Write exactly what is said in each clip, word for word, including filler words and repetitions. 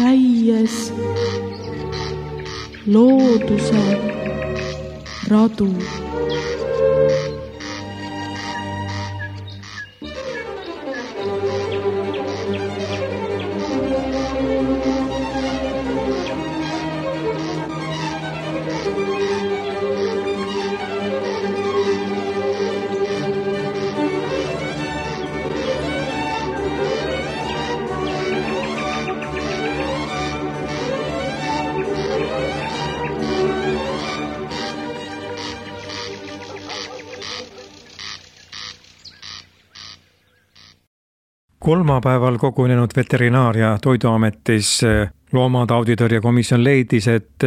käies looduse radu. Kolmapäeval kogunenud Veterinaar- ja Toiduametis loomatauditõrje komisjon leidis, et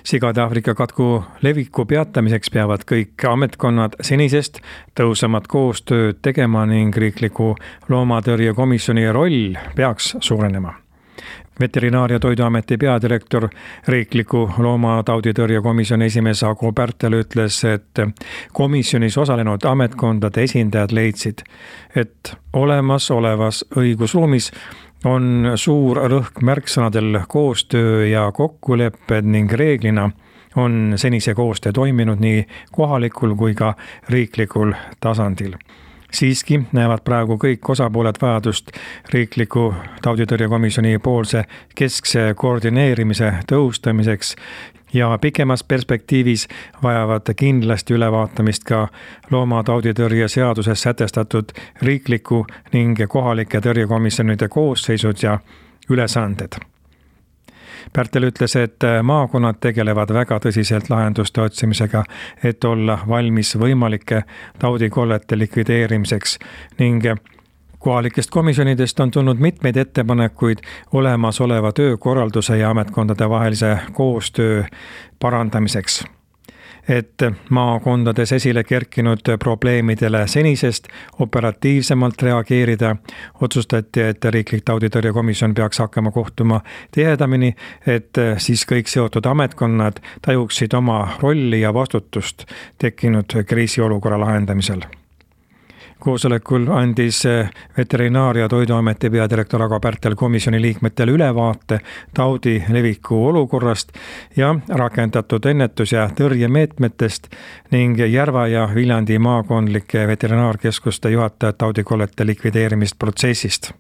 sigade Aafrika katku leviku peatamiseks peavad kõik ametkonnad senisest tõhusamat koostööd tegema ning riikliku loomatõrje komisjoni roll peaks suurenema. Veterinaar- ja Toiduameti peadirektor, riikliku loomatauditõrje komisjoni esimees Ago Pärtel ütles, et komisjonis osalenud ametkondade esindajad leidsid, et olemasolevas õigusruumis on suur rõhk märksõnadel koostöö ja kokkulepped ning reeglina on senise koostöö toiminud nii kohalikul kui ka riiklikul tasandil. Siiski näevad praegu kõik osapooled vajadust riikliku tauditõrjekomisjoni poolse keskse koordineerimise tõhustamiseks ja pikemas perspektiivis vajavad kindlasti ülevaatamist ka loomatauditõrje seaduses sätestatud riikliku ning kohalike tõrjekomisjonide koosseisud ja ülesanded. Pärtel ütles, et maakonnad tegelevad väga tõsiselt lahenduste otsimisega, et olla valmis võimalike taudikollete likvideerimiseks ning kohalikest komisjonidest on tulnud mitmeid ettepanekuid olemasoleva töökorralduse ja ametkondade vahelise koostöö parandamiseks. Et maakondades esile kerkinud probleemidele senisest operatiivsemalt reageerida, otsustati, et riiklik tauditõrjekomisjon peaks hakkama kohtuma tihedamini, et siis kõik seotud ametkonnad tajuksid oma rolli ja vastutust tekkinud kriisiolukorra lahendamisel. Koosolekul andis Veterinaar- ja Toiduameti peadirektor Ago Pärtel komisjoni liikmetele ülevaate taudi leviku olukorrast ja rakendatud ennetus- ja tõrjemeetmetest ning Järva ja Viljandi maakondlike veterinaarkeskuste juhatajad taudikollete likvideerimist protsessist.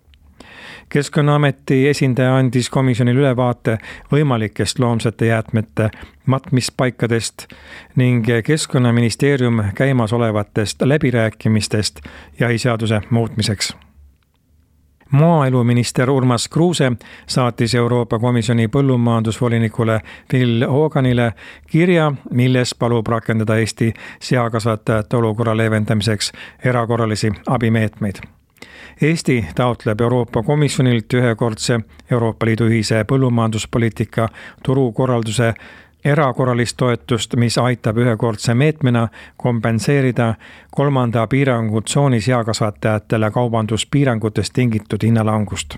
Keskkonnaameti esindaja andis komisjonile ülevaate võimalikest loomsete jäätmete matmispaikadest ning Keskkonnaministeerium käimasolevatest läbirääkimistest jahiseaduse muutmiseks. Maaeluminister Urmas Kruuse saatis Euroopa Komisjoni põllumajandusvolinikule Phil Hoganile kirja, milles palub rakendada Eesti seakasvatajate olukorra leevendamiseks erakorralisi abimeetmeid. Eesti taotleb Euroopa Komisjonilt ühekordse Euroopa Liidu ühise põllumajanduspoliitika turukorralduse erakorralist toetust, mis aitab ühekordse meetmena kompenseerida kolmanda piirangutsooni seakasvatajatele kaubanduspiirangutest tingitud hinnalangust.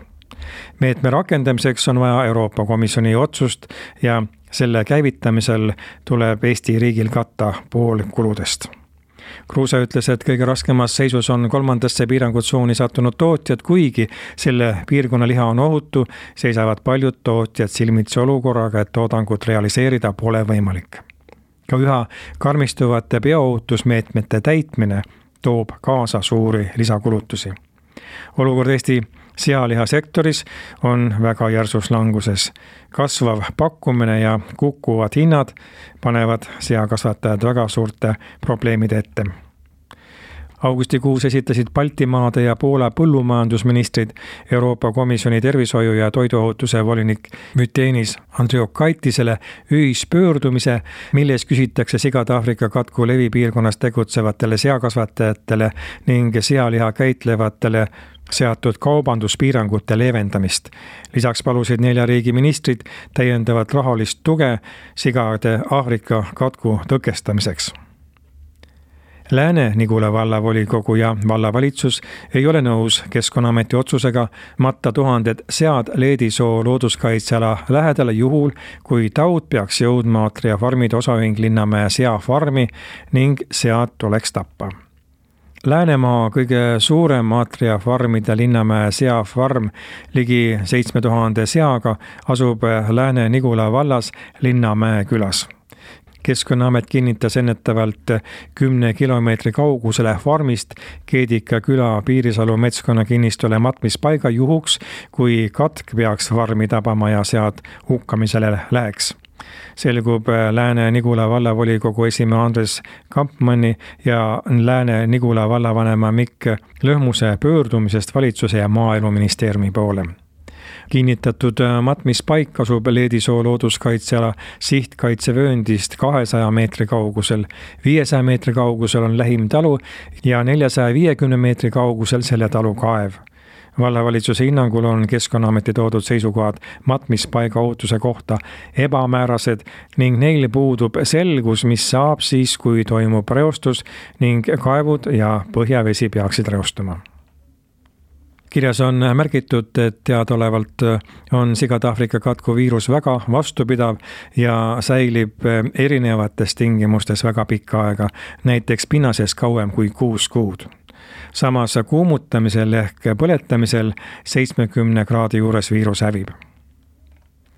Meetme rakendamiseks on vaja Euroopa Komisjoni otsust ja selle käivitamisel tuleb Eesti riigil katta pool kuludest. Kruuse ütles, et kõige raskemas seisus on kolmandasse piirangutsooni sattunud tootjad, kuigi selle piirkonna liha on ohutu, seisavad paljud tootjad silmitsi olukorraga, et toodangut realiseerida pole võimalik. Ka üha karmistuvate bioohutusmeetmete täitmine toob kaasa suuri lisakulutusi. Olukord Eesti sealihasektoris on väga järsus languses. Kasvav pakkumine ja kukkuvad hinnad panevad seakasvatajad väga suurte probleemide ette. Augustikuus esitasid Baltimaade ja Poola põllumajandusministrid Euroopa Komisjoni tervishoiu ja toiduohutuse volinik Mytenis Andriukaitisele ühispöördumise, milles küsitakse sigade Aafrika katku levipiirkonnas tegutsevatele seakasvatajatele ning sealiha käitlevatele seatud kaubanduspiirangute leevendamist. Lisaks palusid nelja riigi ministrid täiendavat rahalist tuge sigade Aafrika katku tõkestamiseks. Lääne-Nigula vallavolikogu ja vallavalitsus ei ole nõus Keskkonnaameti otsusega matta tuhanded sead Leedisoo looduskaitseala lähedale juhul, kui taud peaks jõudma Atria farmide osaühing Linnamäe seafarmi ning sead tuleks tappa. Läänemaa kõige suurem Atria farmide Linnamäe seafarm ligi seitsme tuhande seaga asub Lääne-Nigula vallas Linnamäe külas. Keskkonnaamet kinnitas ennetavalt kümne kilomeetri kaugusele farmist Keedika küla Piirisalu metskonna-kinnistule matmispaiga juhuks, kui katk peaks farmi tabama ja sead hukkamisele läheks. Selgub Lääne-Nigula vallavolikogu esimehe Andres Kampmanni ja Lääne-Nigula vallavanema Mikk Lõhmuse pöördumisest valitsuse ja Maaeluministeeriumi poole. Kinnitatud matmispaik asub Leedisoo looduskaitseala sihtkaitsevööndist kahesaja meetri kaugusel, viiesaja meetri kaugusel on lähim talu ja neljasaja viiekümne meetri kaugusel selle talu kaev. Vallavalitsuse hinnangul on Keskkonnaameti toodud seisukohad matmispaiga ohutuse kohta ebamäärased ning neil puudub selgus, mis saab siis, kui toimub reostus ning kaevud ja põhjavesi peaksid reostuma. Kirjas on märgitud, et teadaolevalt on sigade Aafrika katku viirus väga vastupidav ja säilib erinevates tingimustes väga pikka aega, näiteks pinnases kauem kui kuus kuud. Samas kuumutamisel ehk põletamisel seitsmekümne kraadi juures viirus hävib.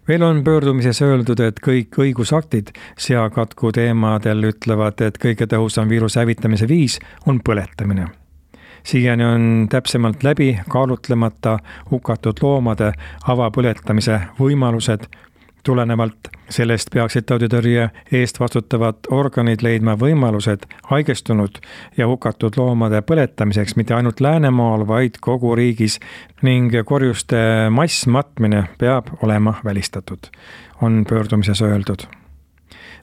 Veel on pöördumises öeldud, et kõik õigusaktid seakatku teemadel ütlevad, et kõige tõhusam viiruse hävitamise viis on põletamine. Siiani on täpsemalt läbi kaalutlemata hukatud loomade avapõletamise võimalused. Tulenevalt sellest peaksid tauditõrje eest vastutavad organid leidma võimalused haigestunud ja hukatud loomade põletamiseks mitte ainult Läänemaal, vaid kogu riigis ning korjuste massmatmine peab olema välistatud, on pöördumises öeldud.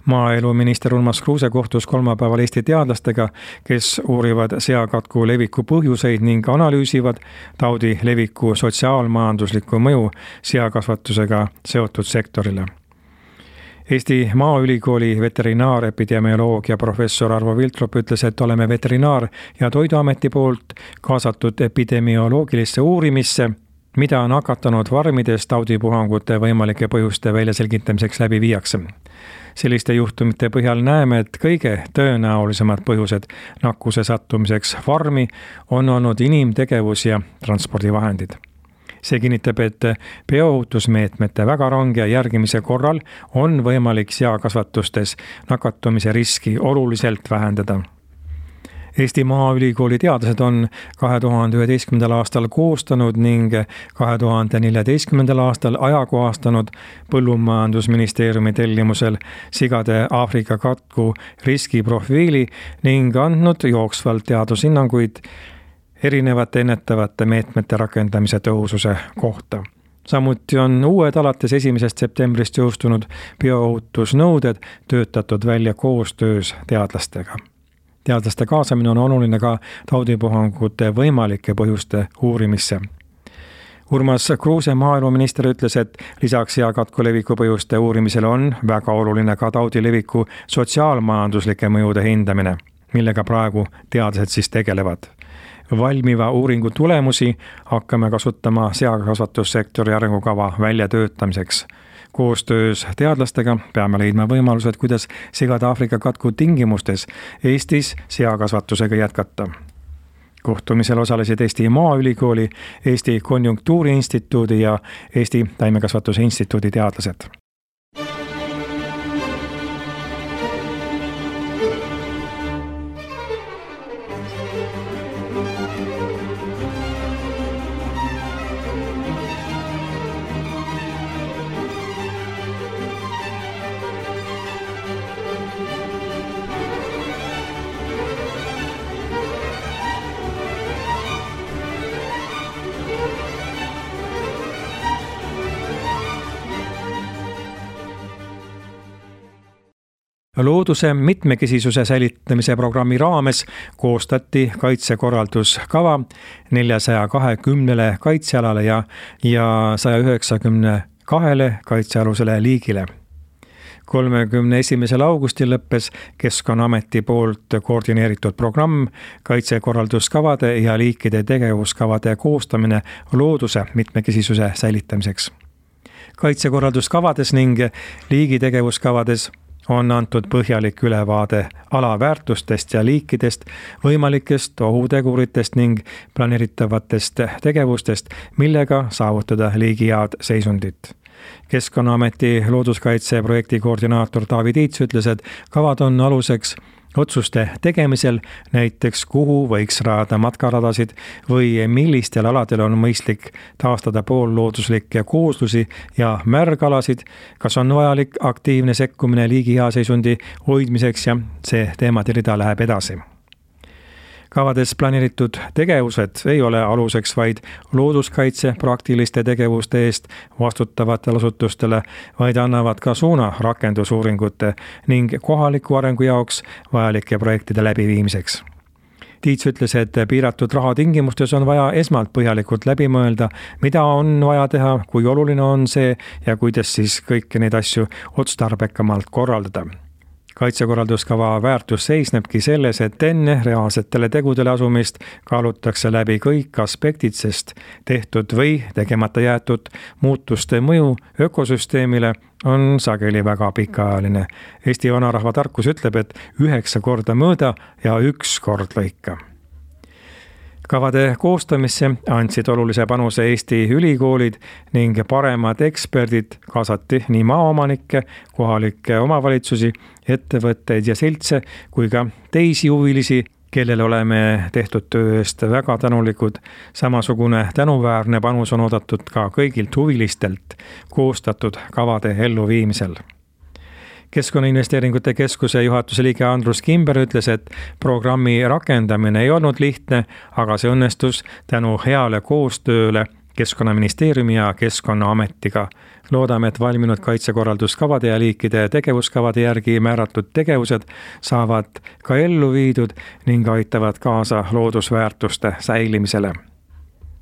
Maaeluminister Urmas Kruuse kohtus kolmapäeval Eesti teadlastega, kes uurivad seakatku leviku põhjuseid ning analüüsivad taudi leviku sotsiaalmajanduslikku mõju seakasvatusega seotud sektorile. Eesti Maaülikooli veterinaarepidemioloogia professor Arvo Viltrop ütles, et oleme veterinaar- ja toiduameti poolt kaasatud epidemioloogilisse uurimisse, mida nakatanud farmides taudipuhangute võimalike põhjuste väljaselgitamiseks läbi viiakse. Selliste juhtumite põhjal näeme, et kõige tõenäolisemad põhjused nakkuse sattumiseks farmi on olnud inimtegevus ja transpordivahendid. See kinnitab, et bioohutusmeetmete väga range järgimise korral on võimalik seakasvatustes nakatumise riski oluliselt vähendada. Eesti Maaülikooli teadlased on kahe tuhande üheteistkümnendal aastal koostanud ning kahe tuhande neljateistkümnendal aastal ajakohastanud Põllumajandusministeeriumi tellimusel sigade Aafrika katku riskiprofiili ning andnud jooksvalt teadushinnanguid erinevate ennetavate meetmete rakendamise tõhususe kohta. Samuti on uued alates esimesest septembrist jõustunud bioohutusnõuded töötatud välja koostöös teadlastega. Teadlaste kaasamine on oluline ka taudipuhangute võimalike põhjuste uurimisse. Urmas Kruuse maaeluminister ütles, et lisaks seakatku leviku põhjuste uurimisele on väga oluline ka taudi leviku sotsiaalmajanduslike mõjude hindamine, millega praegu teadlased siis tegelevad. Valmiva uuringu tulemusi hakkame kasutama seakasvatussektori arengukava väljatöötamiseks. Koostöös teadlastega peame leidma võimalused, kuidas sigade Aafrika katku tingimustes Eestis seakasvatusega jätkata. Kohtumisel osalesid Eesti Maaülikooli, Eesti Konjunktuuriinstituudi ja Eesti Taimekasvatuse Instituudi teadlased. Looduse mitmekesisuse säilitamise programmi raames koostati kaitsekorralduskava neljasaja kahekümnele kaitsealale ja, ja saja üheksakümne kahele kaitsealusele liigile. kolmekümne esimesel augustil lõppes Keskkonnaameti poolt koordineeritud programm kaitsekorralduskavade ja liikide tegevuskavade koostamine looduse mitmekesisuse säilitamiseks. Kaitsekorralduskavades ning liigitegevuskavades on antud põhjalik ülevaade ala väärtustest ja liikidest, võimalikest ohuteguritest ning planeeritavatest tegevustest, millega saavutada liigi head seisundit. Keskkonnaameti looduskaitse projekti koordinaator Taavi Tiits ütles, et kavad on aluseks otsuste tegemisel, näiteks kuhu võiks rajada matkaradasid või millistel aladel on mõistlik taastada poollooduslikke kooslusi ja märgalasid, kas on vajalik aktiivne sekkumine liigi hea seisundi hoidmiseks ja see teemade rida läheb edasi. Kavades planeeritud tegevused ei ole aluseks vaid looduskaitse praktiliste tegevuste eest vastutavatele asutustele, vaid annavad ka suuna rakendusuuringute ning kohaliku arengu jaoks vajalike projektide läbiviimiseks. Tiits ütles, et piiratud raha tingimustes on vaja esmalt põhjalikult läbi mõelda, mida on vaja teha, kui oluline on see ja kuidas siis kõiki neid asju otstarbekamalt korraldada. Kaitsekorralduskava väärtus seisnebki selles, et enne reaalsetele tegudele asumist kaalutakse läbi kõik aspektid, sest tehtud või tegemata jäetud muutuste mõju ökosüsteemile on sageli väga pikaajaline. Eesti vanarahva tarkus ütleb, et üheksa korda mõõda ja üks kord lõika. Kavade koostamisse andsid olulise panuse Eesti ülikoolid ning paremad eksperdid kaasati nii maaomanikke, kohalikke omavalitsusi, ettevõtteid ja seltse kui ka teisi huvilisi, kellele oleme tehtud töö eest väga tänulikud. Samasugune tänuväärne panus on oodatud ka kõigilt huvilistelt koostatud kavade elluviimisel. Keskkonnainvesteeringute keskuse juhatuse liige Andrus Kimber ütles, et programmi rakendamine ei olnud lihtne, aga see õnnestus tänu heale koostööle Keskkonnaministeeriumi ja Keskkonnaametiga. Loodame, et valminud kaitsekorralduskavade ja liikide tegevuskavade järgi määratud tegevused saavad ka ellu viidud ning aitavad kaasa loodusväärtuste säilimisele.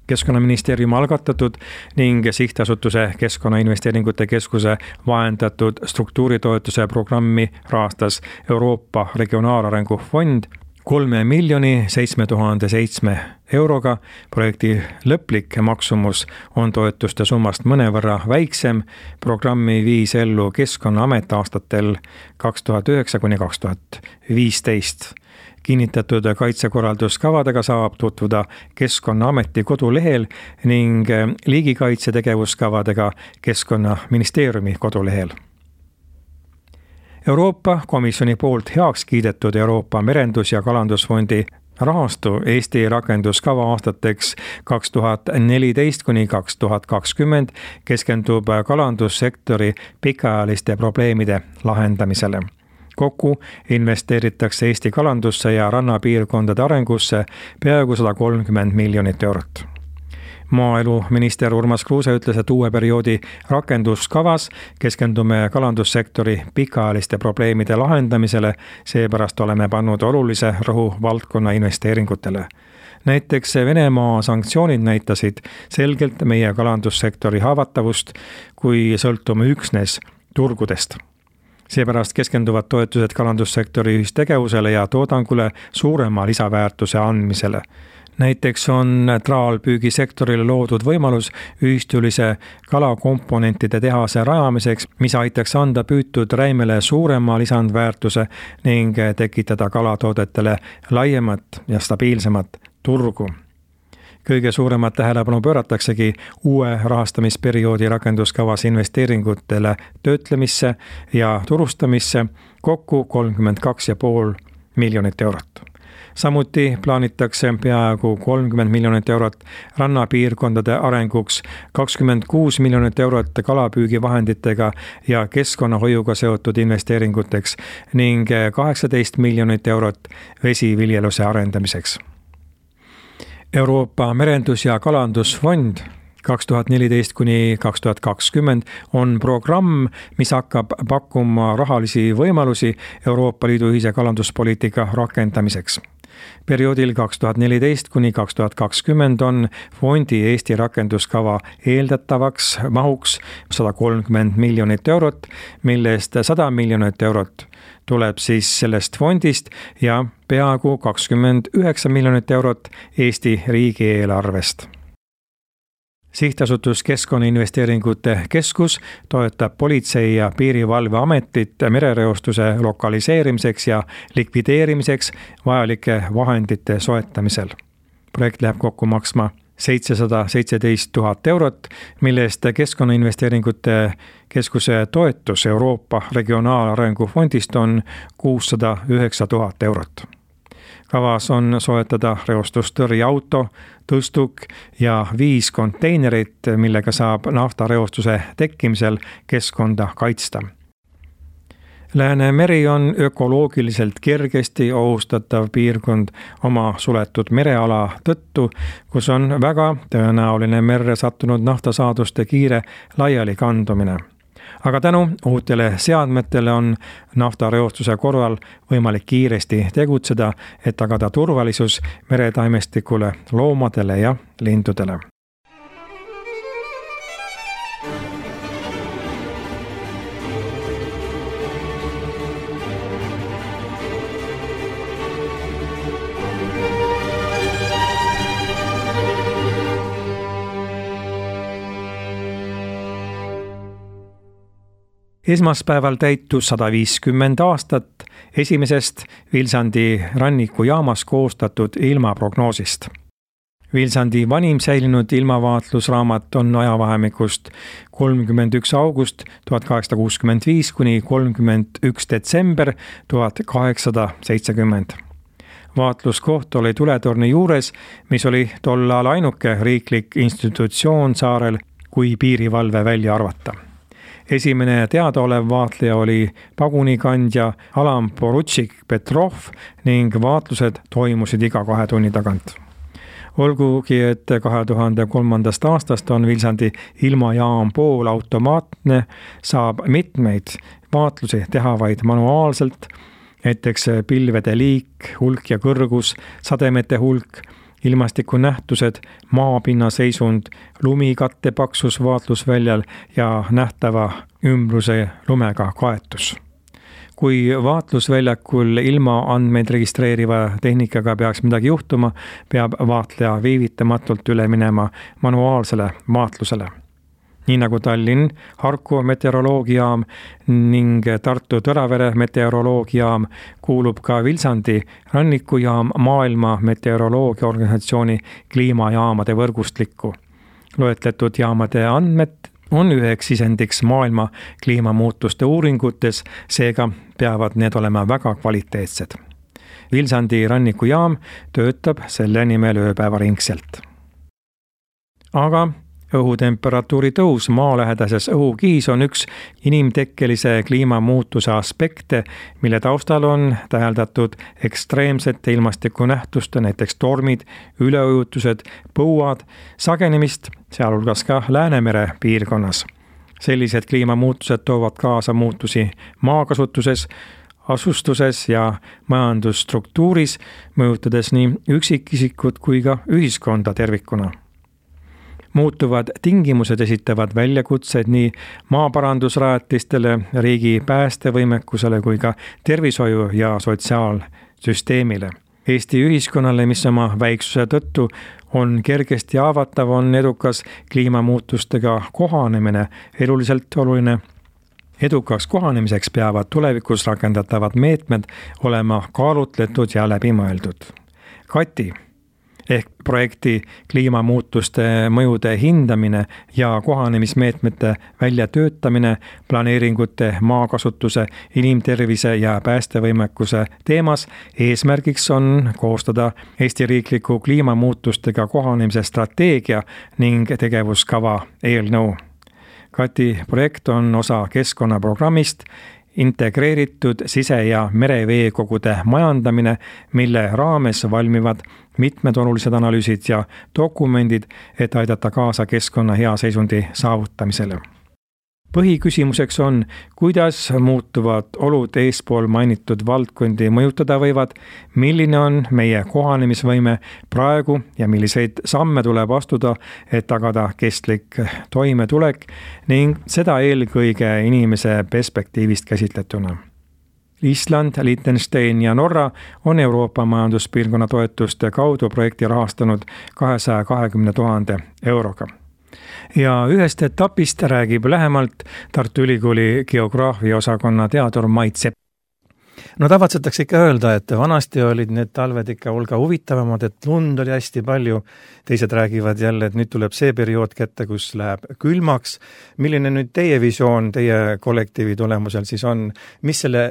Keskkonnaministeeriumi algatatud ning sihtasutuse Keskkonnainvesteeringute keskuse vahendatud struktuuritoetuse programmi rahastas Euroopa Regionaalarengu Fond kolme miljoni seitsme tuhande seitsme euroga. Projekti lõplik maksumus on toetuste summast mõnevõrra väiksem. Programmi viis ellu Keskkonnaamet aastatel kaks tuhat üheksa kuni kaks tuhat viisteist. Kinnitatud kaitsekorralduskavadega saab tutvuda Keskkonnaameti kodulehel ning liigikaitse tegevuskavadega Keskkonnaministeeriumi kodulehel. Euroopa Komisjoni poolt heaks kiidetud Euroopa Merendus- ja Kalandusfondi rahastu Eesti rakenduskava aastateks kaks tuhat neliteist kuni kaks tuhat kakskümmend keskendub kalandussektori pikaajaliste probleemide lahendamisele. Kokku investeeritakse Eesti kalandusse ja rannapiirkondade arengusse peaaegu sada kolmkümmend miljonit eurot. Maaeluminister Urmas Kruuse ütles, et uue perioodi rakenduskavas keskendume kalandussektori pikaajaliste probleemide lahendamisele, seepärast oleme pannud olulise rõhu valdkonna investeeringutele. Näiteks Venemaa sanktsioonid näitasid selgelt meie kalandussektori haavatavust, kui sõltume üksnes turgudest. Seepärast keskenduvad toetused kalandussektori ühistegevusele ja toodangule suurema lisaväärtuse andmisele. Näiteks on traalpüügisektorile loodud võimalus ühistulise kalakomponentide tehase rajamiseks, mis aitaks anda püütud räimele suurema lisandväärtuse ning tekitada kalatoodetele laiemat ja stabiilsemat turgu. Kõige suuremat tähelepanu pöörataksegi uue rahastamisperioodi rakenduskavas investeeringutele töötlemisse ja turustamisse kokku kolmkümmend kaks ja pool miljonit eurot. Samuti plaanitakse peaaegu kolmkümmend miljonit eurot rannapiirkondade arenguks, kakskümmend kuus miljonit eurot kalapüügivahenditega ja keskkonnahoiuga seotud investeeringuteks ning kaheksateist miljonit eurot vesiviljeluse arendamiseks. Euroopa Merendus- ja Kalandusfond kaks tuhat neliteist kuni kaks tuhat kakskümmend on programm, mis hakkab pakkuma rahalisi võimalusi Euroopa Liidu ühise kalanduspoliitika rakendamiseks. Perioodil kaks tuhat neliteist kuni kaks tuhat kakskümmend on fondi Eesti rakenduskava eeldatavaks mahuks sada kolmkümmend miljonit eurot, millest sada miljonit eurot tuleb siis sellest fondist ja peaaegu kakskümmend üheksa miljonit eurot Eesti riigieelarvest. Sihtasutus Keskkonnainvesteeringute Keskus toetab Politsei- ja Piirivalveametit merereostuse lokaliseerimiseks ja likvideerimiseks vajalike vahendite soetamisel. Projekt läheb kokku maksma seitsesada seitseteist tuhat eurot, mille eest Keskkonnainvesteeringute Keskuse toetus Euroopa Regionaalarengu Fondist on kuussada üheksa tuhat eurot. Kavas on soetada reostustõrjeauto, tõstuk ja viis konteinerit, millega saab naftareostuse tekkimisel keskkonda kaitsta. Läänemeri on ökoloogiliselt kergesti ohustatav piirkond oma suletud mereala tõttu, kus on väga tõenäoline merre sattunud naftasaaduste kiire laiali kandumine. Aga tänu uutele seadmetele on naftareostuse korral võimalik kiiresti tegutseda, et tagada turvalisus meretaimestikule, loomadele ja lindudele. Esmaspäeval täitus sada viiskümmend aastat esimesest Vilsandi rannikujaamas koostatud ilmaprognoosist. Vilsandi vanim säilinud ilmavaatlusraamat on ajavahemikust kolmkümmend üks august tuhat kaheksasada kuuskümmend viis kuni kolmkümmend üks detsember tuhat kaheksasada seitsekümmend. Vaatluskoht oli tuletorni juures, mis oli tol ajal ainuke riiklik institutsioon saarel, kui piirivalve välja arvata. Esimene teadaolev vaatleja oli pagunikandja Alam Porutšik Petrov ning vaatlused toimusid iga kahe tunni tagant. Olgugi, et kahe tuhande kolmandast aastast on Vilsandi ilmajaam poolautomaatne, saab mitmeid vaatlusi teha vaid manuaalselt, näiteks pilvede liik, hulk ja kõrgus, sademete hulk, ilmastikunähtused, maapinna seisund, lumikatte paksus vaatlusväljal ja nähtava ümbruse lumega kaetus. Kui vaatlusväljakul ilma andmeid registreeriva tehnikaga peaks midagi juhtuma, peab vaatleja viivitamatult üle minema manuaalsele vaatlusele. Nii nagu Tallinn Harku meteoroloogiaam ning Tartu Tõravere meteoroloogiaam kuulub ka Vilsandi rannikujaam maailma meteoroloogiaorganisatsiooni kliimajaamade võrgustikku. Loetletud jaamade andmed on üheks sisendiks maailma kliimamuutuste uuringutes, seega peavad need olema väga kvaliteetsed. Vilsandi rannikujaam töötab selle nimel ööpäevaringselt. Aga õhutemperatuuri tõus maalähedases õhukihis on üks inimtekkelise kliimamuutuse aspekte, mille taustal on täheldatud ekstreemsete ilmastikunähtuste, näiteks tormid, üleujutused, põuad, sagenemist, sealhulgas ka Läänemere piirkonnas. Sellised kliimamuutused toovad kaasa muutusi maakasutuses, asustuses ja majandusstruktuuris, mõjutades nii üksikisikut kui ka ühiskonda tervikuna. Muutuvad tingimused esitavad väljakutseid nii maaparandusrajatistele, riigi päästevõimekusele kui ka tervishoiu- ja sotsiaalsüsteemile. Eesti ühiskonnale, mis oma väiksuse tõttu on kergesti haavatav, on edukas kliimamuutustega kohanemine eluliselt oluline. Edukaks kohanemiseks peavad tulevikus rakendatavad meetmed olema kaalutletud ja läbimõeldud. Kati ehk projekti kliimamuutuste mõjude hindamine ja kohanemismeetmete väljatöötamine planeeringute, maakasutuse, inimtervise ja päästevõimekuse teemas eesmärgiks on koostada Eesti riikliku kliimamuutustega kohanemise strateegia ning tegevuskava eelnõu. Kati projekt on osa keskkonnaprogrammist integreeritud sise- ja mereveekogude majandamine, mille raames valmivad mitmed olulised analüüsid ja dokumendid, et aidata kaasa keskkonna hea seisundi saavutamisele. Põhiküsimuseks on, kuidas muutuvad olud eespool mainitud valdkondi mõjutada võivad, milline on meie kohanemisvõime praegu ja milliseid samme tuleb astuda, et tagada kestlik toimetulek ning seda eelkõige inimese perspektiivist käsitletuna. Island, Liechtenstein ja Norra on Euroopa majanduspiirkonna toetuste kaudu projekti rahastanud kahesaja kahekümne tuhande euroga. ja ühest etapist räägib lähemalt Tartu Ülikooli geograafia osakonna teadur Mait Sepp. No tavatsetakse ikka öelda, et vanasti olid need talved ikka hulga huvitavamad, et lund oli hästi palju. Teised räägivad jälle, et nüüd tuleb see periood kätte, kus läheb külmaks. Milline nüüd teie visioon teie kollektiivi tulemusel siis on? Mis selle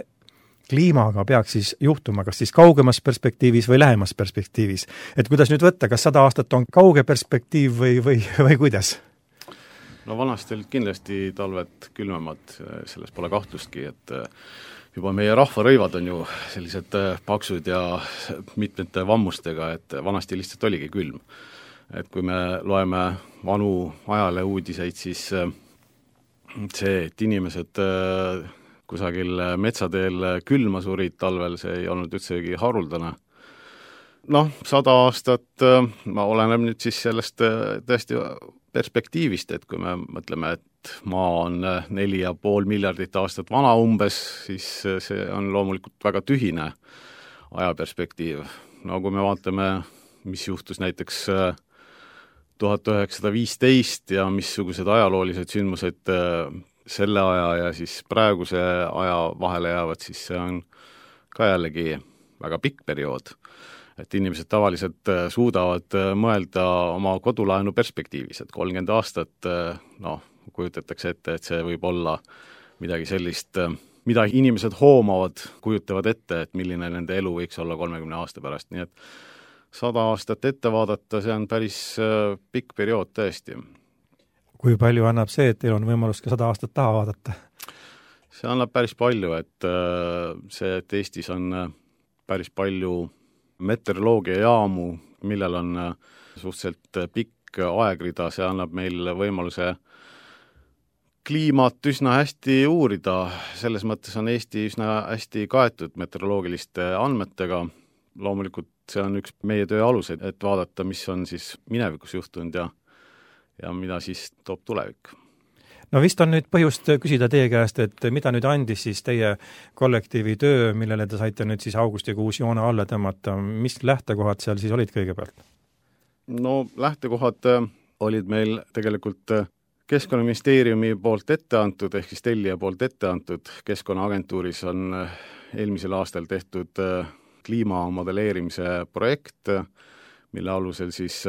kliimaga peaks siis juhtuma, kas siis kaugemas perspektiivis või lähemas perspektiivis? Et kuidas nüüd võtta, kas sada aastat on kauge perspektiiv või, või, või kuidas? No vanasti olid kindlasti talved külmemad, selles pole kahtlustki, et juba meie rahvarõivad on ju sellised paksud ja mitmete vammustega, et vanasti lihtsalt oligi külm. Et kui me loeme vanu ajaleuudiseid, siis see, et inimesed kusagil metsateel külma surid talvel, see ei olnud üldsegi haruldane. Noh, sada aastat ma oleneb nüüd siis sellest tõesti perspektiivist, et kui me mõtleme, et maa on neli ja pool miljardit aastat vana umbes, siis see on loomulikult väga tühine ajaperspektiiv. No kui me vaatame, mis juhtus näiteks tuhat üheksasada viisteist ja missugused ajaloolised sündmused selle aja ja siis praeguse aja vahele jäävad, siis see on ka jällegi väga pikk periood. Et inimesed tavaliselt suudavad mõelda oma kodulaenu perspektiivis, et kolmkümmend aastat, noh, kujutatakse ette, et see võib olla midagi sellist, mida inimesed hoomavad, kujutavad ette, et milline nende elu võiks olla kolmekümne aasta pärast, nii et sada aastat ette vaadata, see on päris pikk periood tõesti. Kui palju annab see, et teil on võimalus ka sada aastat taha vaadata? See annab päris palju, et see, et Eestis on päris palju meteoroloogia jaamu, millel on suhteliselt pikk aegrida, see annab meil võimaluse kliimat üsna hästi uurida. Selles mõttes on Eesti üsna hästi kaetud meteoroloogiliste andmetega. Loomulikult see on üks meie töö alus, et vaadata, mis on siis minevikus juhtunud ja, ja mida siis toob tulevik. No vist on nüüd põhjust küsida teie käest, et mida nüüd andis siis teie kollektiivi töö, millele te saite nüüd siis augustikuus joone alla tõmmata. Mis lähtekohad seal siis olid kõigepealt? No lähtekohad olid meil tegelikult Keskkonnaministeeriumi poolt ette antud, ehk siis tellija poolt ette antud. Keskkonnaagentuuris on eelmisel aastal tehtud kliimamodelleerimise projekt, mille alusel siis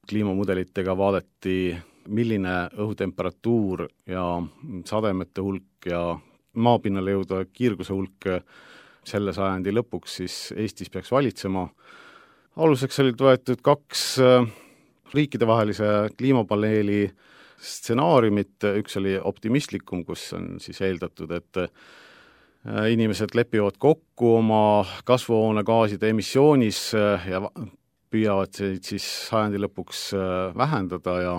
kliimamudelitega vaadati, milline õhutemperatuur ja sademete hulk ja maapinnale jõuda kiirguse hulk selle sajandi lõpuks siis Eestis peaks valitsema. Aluseks olid võetud kaks riikidevahelise kliimapaneeli stsenaariumit, üks oli optimistlikum, kus on siis eeldatud, et inimesed lepivad kokku oma kasvuhoonegaaside emissioonis ja püüavad siis sajandi lõpuks vähendada ja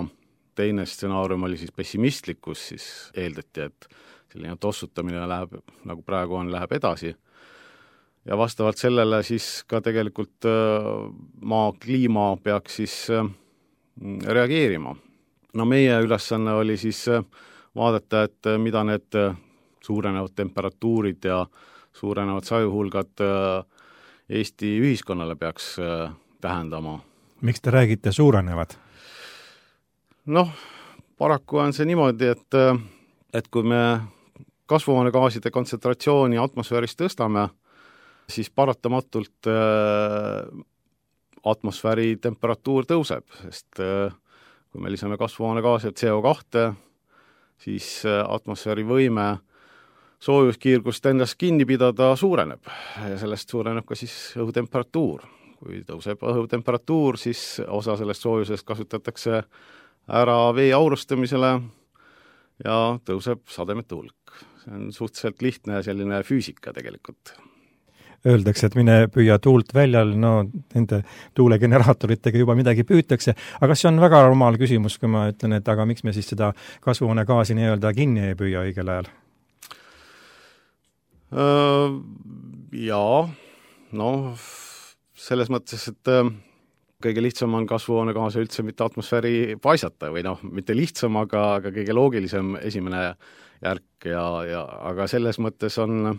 teine stsenaarium oli siis pessimistlik, kus siis eeldati, et selline tossutamine läheb, nagu praegu on, läheb edasi. Ja vastavalt sellele siis ka tegelikult maa kliima peaks siis reageerima. No meie ülesanne oli siis vaadata, et mida need suurenevad temperatuurid ja suurenevad sajuhulgad Eesti ühiskonnale peaks tähendama. Miks te räägite suurenevad? Noh, paraku on see niimoodi, et, et kui me kasvuhoonegaaside kontsentratsiooni atmosfääris tõstame, siis paratamatult atmosfääri temperatuur tõuseb, sest kui me lisame kasvuhoonegaasi C O kahe, siis atmosfääri võime soojuskiirgust endast kinni pidada suureneb ja sellest suureneb ka siis õhutemperatuur. Kui tõuseb õhutemperatuur, siis osa sellest soojusest kasutatakse ära vee aurustamisele ja tõuseb sademete hulk. See on suhteliselt lihtne selline füüsika tegelikult. Öeldakse, et mine püüa tuult väljal, no nende tuulegeneraatoritega juba midagi püütakse, aga see on väga rumal küsimus, kui ma ütlen, et aga miks me siis seda kasvuhoonegaasi nii-öelda kinni ei püüa õigel ajal? Jaa, no selles mõttes, et kõige lihtsam on kasvuhoonegaase üldse mitte atmosfääri paisata või noh, mitte lihtsam, aga, aga kõige loogilisem esimene järk ja, ja aga selles mõttes on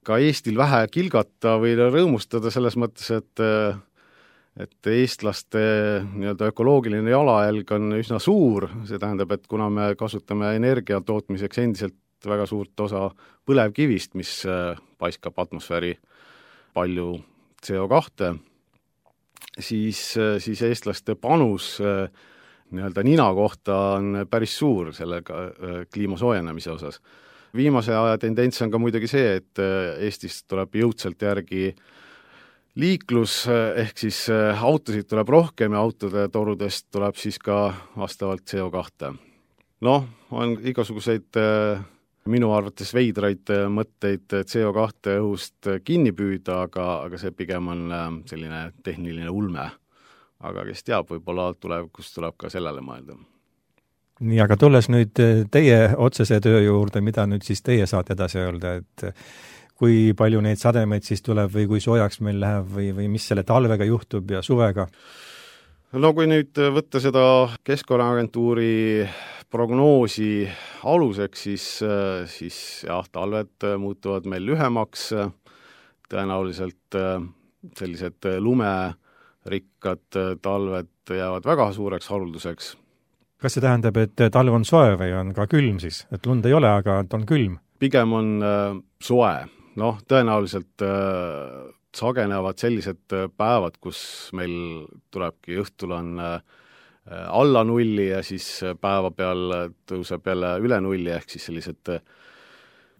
ka Eestil vähe kilgata või rõõmustada selles mõttes, et, et eestlaste nii-öelda ökoloogiline jalajälg on üsna suur, see tähendab, et kuna me kasutame energia tootmiseks endiselt väga suurt osa põlevkivist, mis paiskab atmosfääri palju C O kahte, siis, siis eestlaste panus nii-öelda nina kohta on päris suur sellega kliima soojenemise osas. Viimase aja tendents on ka muidugi see, et Eestis tuleb jõudsalt järgi liiklus, ehk siis autosid tuleb rohkem ja autode torudest tuleb siis ka vastavalt C O kahte. Noh, on igasuguseid minu arvates veidraid mõtteid C O kahte õhust kinni püüda, aga, aga see pigem on selline tehniline ulme. Aga kes teab, võib-olla tulevikus tuleb ka sellele mõelda. Nii, aga tulles nüüd teie otsese töö juurde, mida nüüd siis teie saate edasi öelda, et kui palju neid sademeid siis tuleb või kui soojaks meil läheb või, või mis selle talvega juhtub ja suvega? No kui nüüd võtta seda Keskkonnaagentuuri prognoosi aluseks, siis, siis jah, talved muutuvad meil lühemaks, tõenäoliselt sellised lumerikkad talved jäävad väga suureks harulduseks. Kas see tähendab, et talv on soe või on ka külm siis? Et lund ei ole, aga on külm? Pigem on äh, soe. Noh, tõenäoliselt äh, sagenevad sellised päevad, kus meil tulebki õhtul on äh, alla nulli ja siis päeva peal tõuseb jälle üle nulli, ehk siis sellised äh,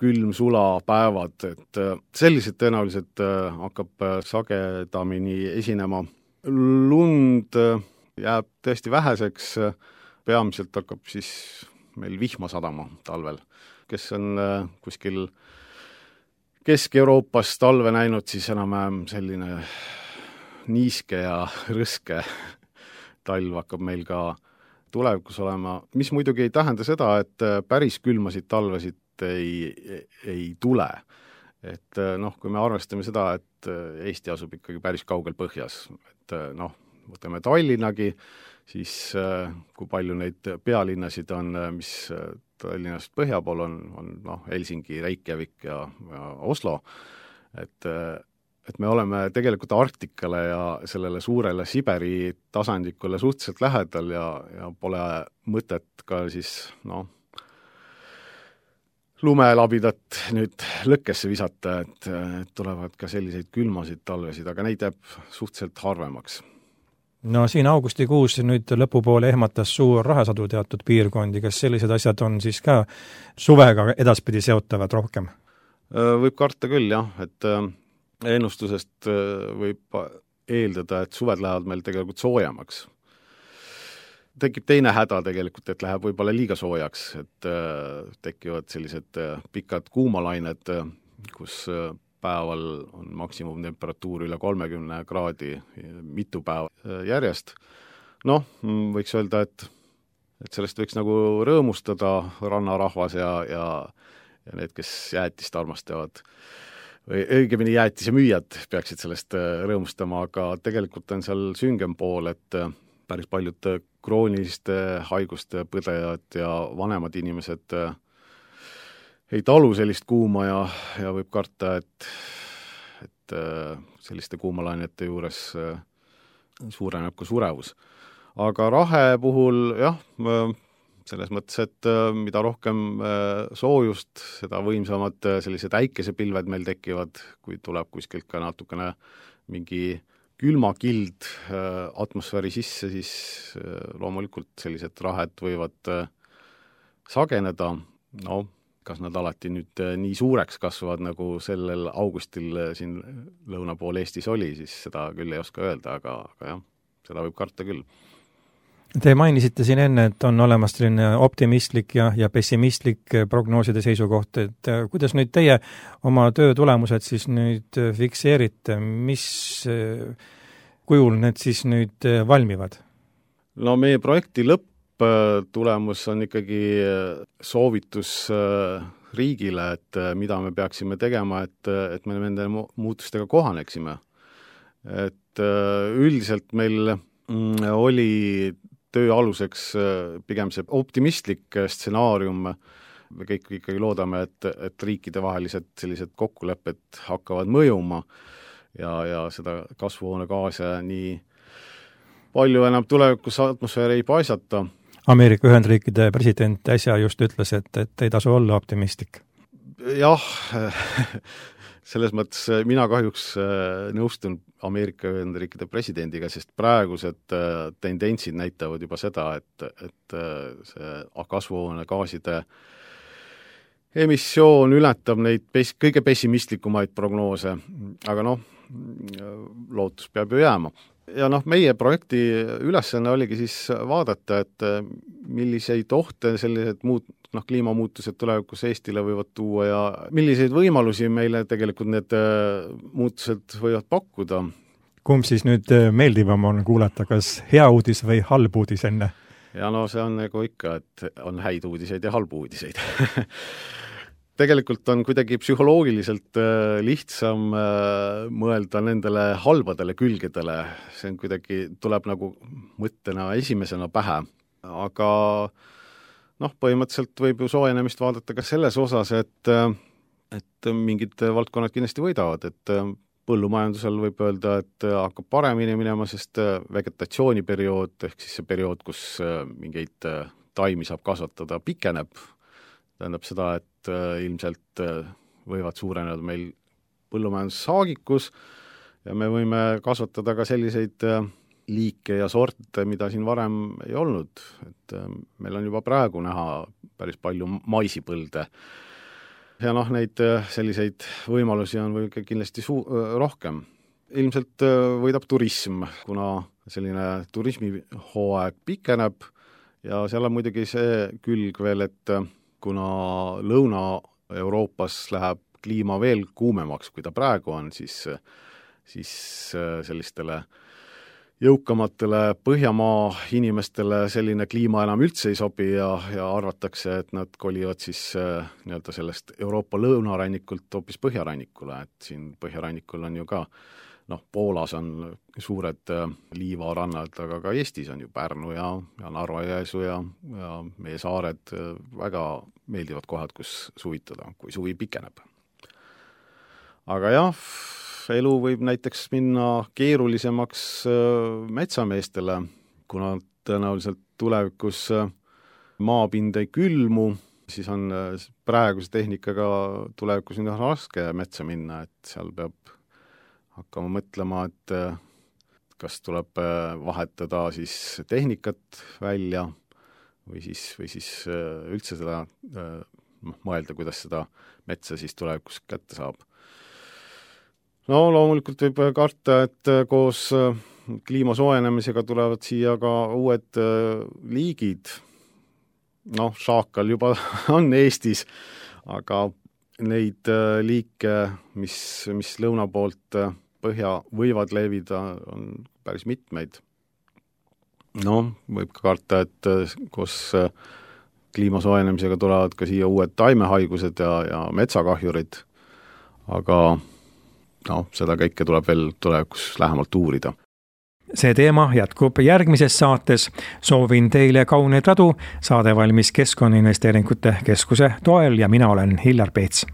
külm-sula päevad. Et äh, sellised tõenäoliselt äh, hakkab äh, sagedamini esinema. Lund äh, jääb tõesti väheseks, äh, peamiselt hakkab siis meil vihma sadama talvel. Kes on äh, kuskil Kesk-Euroopas talve näinud, siis enam selline niiske ja rõske talv hakkab meil ka tulevikus olema, mis muidugi ei tähenda seda, et päris külmasid talvesid ei, ei tule. Et noh, kui me arvestame seda, et Eesti asub ikkagi päris kaugel põhjas, et noh, võtame Tallinnagi, siis kui palju neid pealinnasid on, mis Tallinnast põhja pool on, on noh, Helsingi, Reykjavik ja, ja Oslo, et, et me oleme tegelikult Arktikale ja sellele suurele Siberi tasandikule suhteliselt lähedal ja, ja pole mõtet ka siis noh, lumelabidat nüüd lõkkesse visata, et, et tulevad ka selliseid külmasid talvesid, aga neid jääb suhteliselt harvemaks. No siin augustikuus nüüd lõpupoole ehmatas suur rahasadu teatud piirkondi, kas sellised asjad on siis ka suvega edaspidi seotavad rohkem? Võib karta küll, jah, et ennustusest võib eeldada, et suved lähevad meil tegelikult soojemaks. Tekib teine häda tegelikult, et läheb võib-olla liiga soojaks, et tekivad sellised pikad kuumalained, kus päeval on maksimumtemperatuur üle kolmekümne kraadi mitu päeva järjest. Noh, võiks öelda, et, et sellest võiks nagu rõõmustada rannarahvas ja, ja, ja need, kes jäätist armastavad. Või õigemini jäätise müüjad peaksid sellest rõõmustama, aga tegelikult on seal süngem pool, et päris paljud krooniliste haiguste põdejad ja vanemad inimesed ei talu sellist kuuma ja, ja võib karta, et, et selliste kuumalainete juures suureneb ka surevus. Aga rahe puhul, jah, selles mõttes, et mida rohkem soojust, seda võimsamad sellised äikesepilved meil tekivad, kui tuleb kuskilt ka natukene mingi külmakild atmosfääri sisse, siis loomulikult sellised rahed võivad sageneda, no kas nad alati nüüd nii suureks kasvavad, nagu sellel augustil siin lõuna pool Eestis oli, siis seda küll ei oska öelda, aga, aga jah, seda võib karta küll. Te mainisite siin enne, et on olemas selline optimistlik ja, ja pessimistlik prognooside seisukoht, et kuidas nüüd teie oma töö tulemused siis nüüd fikseerite, mis kujul need siis nüüd valmivad? No meie projekti lõpp tulemus on ikkagi soovitus riigile, et mida me peaksime tegema, et, et me nende muutustega kohaneksime. Et üldiselt meil oli töö aluseks pigem see optimistlik stsenaarium. Me kõik ikkagi loodame, et, et riikide vahelised sellised kokkulepped hakkavad mõjuma ja, ja seda kasvuhoonegaase nii palju enam tulevikus atmosfääri ei paisata. Ameerika Ühendriikide president äsja just ütles, et, et ei tasu olla optimistlik. Jah, selles mõttes mina kahjuks nõustun Ameerika Ühendriikide presidendiga, sest praegused tendentsid näitavad juba seda, et, et see kasvuhoonegaaside emissioon ületab neid pes- kõige pessimistlikumaid prognoose, aga noh, lootus peab ju jääma. Ja noh, meie projekti ülesanne oligi siis vaadata, et milliseid ohte sellised muud, noh, kliimamuutused tulevikus Eestile võivad tuua ja milliseid võimalusi meile tegelikult need muutused võivad pakkuda. Kumb siis nüüd meeldivam on kuulata, kas hea uudis või halb uudis enne? Ja no see on nagu ikka, et on häid uudiseid ja halbu uudiseid. Tegelikult on kuidagi psühholoogiliselt lihtsam mõelda nendele halbadele külgedele. See on kuidagi, tuleb nagu mõttena esimesena pähe. Aga noh, põhimõtteliselt võib ju soojenemist vaadata ka selles osas, et, et mingid valdkonnad kindlasti võidavad, et põllumajandusel võib öelda, et hakkab paremini minema, sest vegetatsiooniperiood, ehk siis see periood, kus mingeid taimi saab kasvatada, pikeneb. Tähendab seda, et ilmselt võivad suureneda meil põllumajandussaagikus ja me võime kasvatada ka selliseid liike ja sorte, mida siin varem ei olnud. Et meil on juba praegu näha päris palju maisipõlde. Ja noh, neid selliseid võimalusi on või kindlasti suu- rohkem. Ilmselt võidab turism, kuna selline turismihooaeg pikeneb ja seal on muidugi see külg veel, et kuna Lõuna-Euroopas läheb kliima veel kuumemaks, kui ta praegu on, siis, siis sellistele jõukamatele Põhjamaa inimestele selline kliima enam üldse ei sobi ja, ja arvatakse, et nad kolivad siis nii-öelda sellest Euroopa lõunarannikult hoopis põhjarannikule, et siin põhjarannikul on ju ka noh, Poolas on suured liivarannad, aga ka Eestis on ju Pärnu ja, ja Narva-Jõesuu ja, ja meie saared väga meeldivad kohad, kus suvitada, kui suvi pikeneb. Aga jah, elu võib näiteks minna keerulisemaks metsameestele, kuna tõenäoliselt tulevikus maapind ei külmu, siis on praeguse tehnikaga tulevikus on raske metsa minna, et seal peab hakkama mõtlema, et kas tuleb vahetada siis tehnikat välja või siis, või siis üldse seda mõelda, kuidas seda metsa siis tulevikus kätte saab. No loomulikult võib karta, et koos kliima soojenemisega tulevad siia ka uued liigid. Noh, šaakal juba on Eestis, aga neid liike, mis, mis lõuna poolt põhja võivad levida, on päris mitmeid. No, võib ka karta, et koos kliima soojenemisega tulevad ka siia uued taimehaigused ja, ja metsakahjurid, aga no, seda kõike tuleb veel tulevikus lähemalt uurida. See teema jätkub järgmises saates. Soovin teile kauneid radu, saade valmis Keskkonnainvesteeringute Keskuse toel ja mina olen Hillar Peets.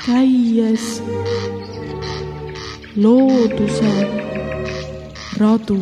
Käies looduse radu.